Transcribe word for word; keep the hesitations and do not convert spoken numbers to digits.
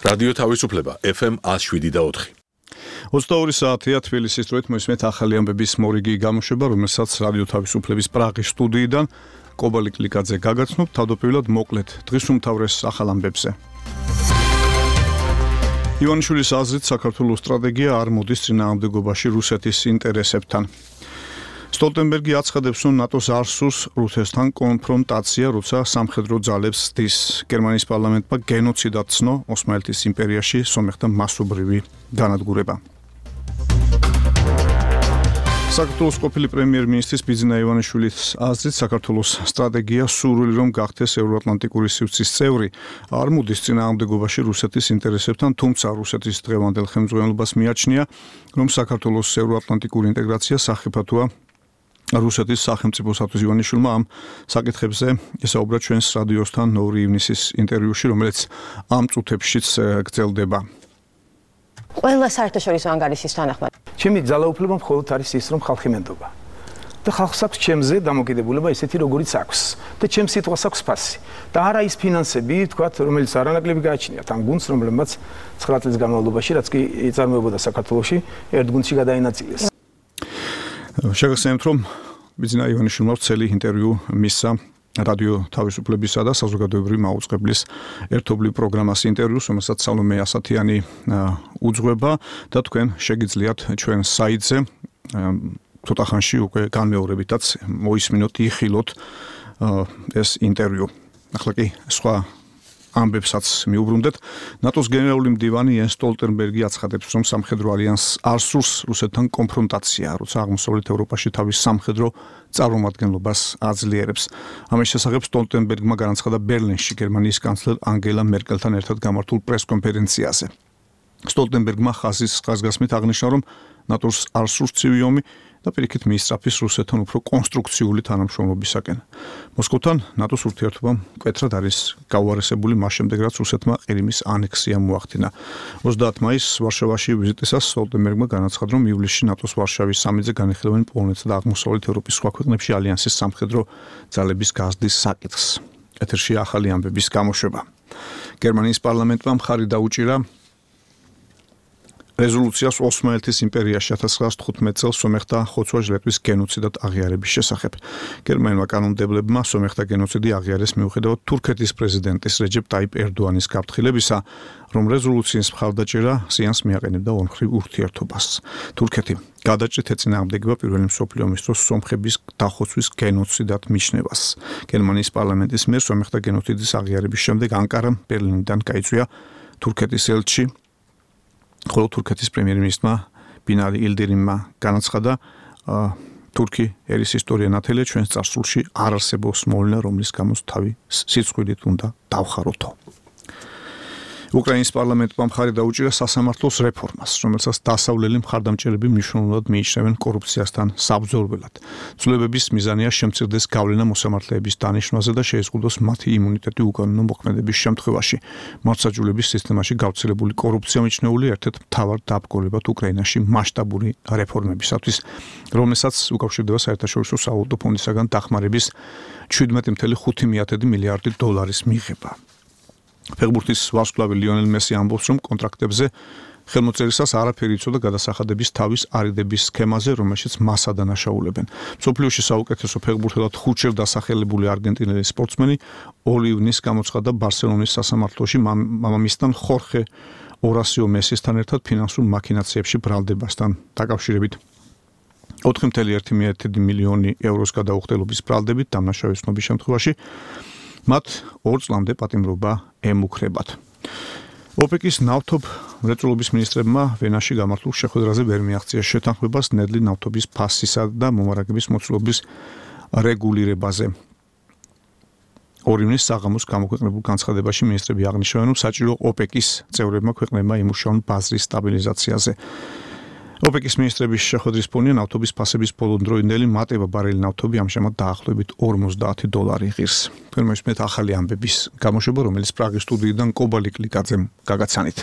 რადიო თავისუფლება ეფ ემ one oh seven და four. ოცდაორი საათია თბილისის დროით მოისმენთ ახალი ამბების მორიგი გამოშვება, რომელსაც რადიო თავისუფლების პრაღის სტუდიიდან კობალი კლიკაძე გაგაცნობ. თავდაპირველად მოკლედ დღის უმთავრეს ახალ ამბებზე. ივანიშვილის აზრით საქართველოს სტრატეგია არ მოდის წინააღმდეგობაში რუსეთის ინტერესებთან. სტოლტენბერგი აცხადებს, რომ ნატოს არ სურს რუსეთთან კონფრონტაცია, როცა სამხედრო ძალებს სდის. გერმანიის პარლამენტმა გენოციდად ცნო ოსმალეთის იმპერიაში სომეხთა მასობრივი განადგურება. საქართველოს ყოფილი პრემიერ-მინისტრის ბიძინა ივანიშვილის აზრით, საქართველოს სტრატეგია სურვილი რომ გახდეს ევროატლანტიკური სივრცის წევრი, არ მოდის წინააღმდეგობაში რუსეთის ინტერესებთან, თუმცა რუსეთის დღევანდელ ხელმძღვანელობას მიაჩნია, რომ საქართველოს ევროატლანტიკური ინტეგრაცია სახიფათოა რუსეთის სახელმწიფოსათვის. ივანიშვილმა ამ საკითხებზე ესაუბრა ჩვენს რადიოსთან ორი ივნისის ინტერვიუში, რომელიც ამ წუთებშიც გრძელდება. ყველა საერთაშორისო ანგარიშის თანახმად ჩემი ძალაუფლება მხოლოდ არის ის, რომ ხალხი მენდობა. და ხალხს აქვს ჩემზე დამოკიდებულება ისეთი, როგორიც აქვს. და ჩემს სიტყვას აქვს ფასი. და არა ის ფინანსები, თქვათ, რომელიც არანაკლები გააჩნიათ ამ გუნდს, რომელმაც ცხრა წლის განმავლობაში, რაც კი იწარმოებოდა საქართველოში, ერთ გუნდში გადაინაწილეს. შეგახსენებთ, რომ ბიძინა ივანიშვილმა წელი ინტერვიუ მისცა რადიო თავისუფლებისა და საზოგადოებრივი მაუწყებლის ერთობლივ პროგრამას ინტერვიუს, რომელსაც სალომე ასათიანი უძღვება და თქვენ შეგიძლიათ ჩვენ საიტზე ცოტა ხანში უკვე განმეორებითაც მოისმინოთ, იხილოთ ეს ინტერვიუ. ახლა კი სხვა ამბებსაც მიუბრუნდეთ. ნატოს გენერალური მდივანი იენს სტოლტენბერგი აცხადებს, რომ სამხედრო ალიანსს არ სურს რუსეთთან კონფრონტაცია, როცა აღმოსავლეთ ევროპაში თავის სამხედრო წარმომადგენლობას აძლიერებს. ამის შესახებ სტოლტენბერგმა განაცხადა ბერლინში გერმანიის კანცლერ ანგელა მერკელთან ერთად გამართულ პრეს-კონფერენციაზე. სტოლტენბერგმა ხაზის ხაზგასმით აღნიშნა, რომ ნატოს არ სურს ცივი ომი და პირიქით მიისწრაფის რუსეთთან უფრო კონსტრუქციული თანამშრომლობისაკენ. მოსკოვთან ნატოს ურთიერთობამ მკვეთრად არის გაუარესებული მას შემდეგ, რაც რუსეთმა ყირიმის ანექსია მოახდინა. ოცდაათი მაისს ვარშავაში ვიზიტისას სტოლტენბერგმა განაცხადა, რომ ივლისში ნატოს ვარშავის სამიტზე განიხილავენ პოლონეთსა და აღმოსავლეთ ევროპის სხვა ქვეყნებში ალიანსის სამხედრო ძალების გაზრდის საკითხს. ეთერში ახალი ამბების გამოშვება. გერმანიის პარლამენტმა მხარი დაუჭირა რეზოლუციას ოსმალეთის იმპერიაში ათას ცხრაასი თხუთმეტ წელს სომეხთა ხოცვა-ჟლეტვის გენოციდად აღიარების შესახებ. გერმანულმა კანონმდებლებმა სომეხთა გენოციდი აღიარეს მიუხედავად თურქეთის პრეზიდენტის რეჯეპ ტაიპ ერდოანის გაფრთხილებისა, რომ რეზოლუციის მხარდაჭერა ზიანს მიაყენებდა ორმხრივ ურთიერთობას. თურქეთი გადაჭრით ეწინააღმდეგება პირველი მსოფლიო ომის დროს სომხების დახოცვის გენოციდად მიჩნევას. გერმანიის პარლამენტის მიერ სომეხთა გენოციდის აღიარების შემდეგ ანკარამ ბერლინიდან გაიწვია თურქეთის ელჩი, ხოლო თურქეთის პრემიერ-მინისტრმა ბინალი ილდირიმმა განაცხადა, თურქი ერის ისტორია ნათელია ჩვენს წარსულში არ არსებობს მოვლენა, რომლის გამოც თავი სიცხვილით უნდა დავხაროთო. უკრაინის პარლამენტმა მხარი დაუჭირა სასამართლოს რეფორმას, რომელსაც დასავლელი მხარდამჭერები მნიშვნელოვნად მიიჩნევენ კორუფციასთან საბრძოლველად. ცვლილებების მიზანია შემცირდეს გავლენა მოსამართლეების დანიშვნაზე და შეეზღუდოს მათი იმუნიტეტი უკანონო მოქმედების შემთხვევაში. მართლმსაჯულების სისტემაში გავრცელებული კორუფცია მიჩნეული ერთ-ერთ მთავარ დაბგორებად უკრაინაში მასშტაბური რეფორმებისათვის, რომელსაც უკავშირდება საერთაშორისო სავალუტო ფონდისაგან დახმარების შვიდმეტი წუთი ხუთი მილიარდი დოლარის მიღება. ფეხბურთის ვარსკვლავი ლიონელ მესი ამბობს, რომ კონტრაქტებზე ხელმოწერისას არაფერი იცოდა გადასახადების თავის არიდების სქემაზე, რომელშიც მას ადანაშაულებენ. მსოფლიოში საუკეთესო ფეხბურთელად ხუთჯერ დასახელებული არგენტინელი სპორტსმენი ორი ივნისს გამოცხადდა ბარსელონის სასამართლოში მამამისთან ხორხე ორასიო მესისთან ერთად ფინანსურ მაქინაციებში ბრალდებასთან დაკავშირებით. ოთხი წუთი ერთი მილიონი ევროს გადაუხდელობის ბრალდებით დამნაშავეს ცნობის შემთხვევაში მათ ორ წლამდე პატიმრობა ემუქრებათ. ოპეკის ნავთობ მრეწველობის მინისტრებმა ვენაში გამართულ შეხვედრაზე ვერ მიაღწიეს შეთანხმებას ნედლი ნავთობის ფასისა და მომარაგების მოცულობის რეგულირებაზე. ორი ივნისს საღამოს გამოქვეყნებულ განცხადებაში მინისტრები აღნიშნავენ, რომ საჭირო ოპეკის წევრებმა ქვეყნებმა იმუშაონ ბაზრის სტაბილიზაციაზე. ოპეკის მინისტრების შეხვედრის ფონია ნავთობის ფასების ბოლოდროინდელი მატება ბარელი ნავთობი ამჟამად დაახლოებით ორმოცდაათი დოლარი ღირს. თქვენ მოისმენთ ახალი ამბების გამოშვება, რომელიც პრაღის სტუდიიდან კობალი კლიკაძემ გაგაცანით.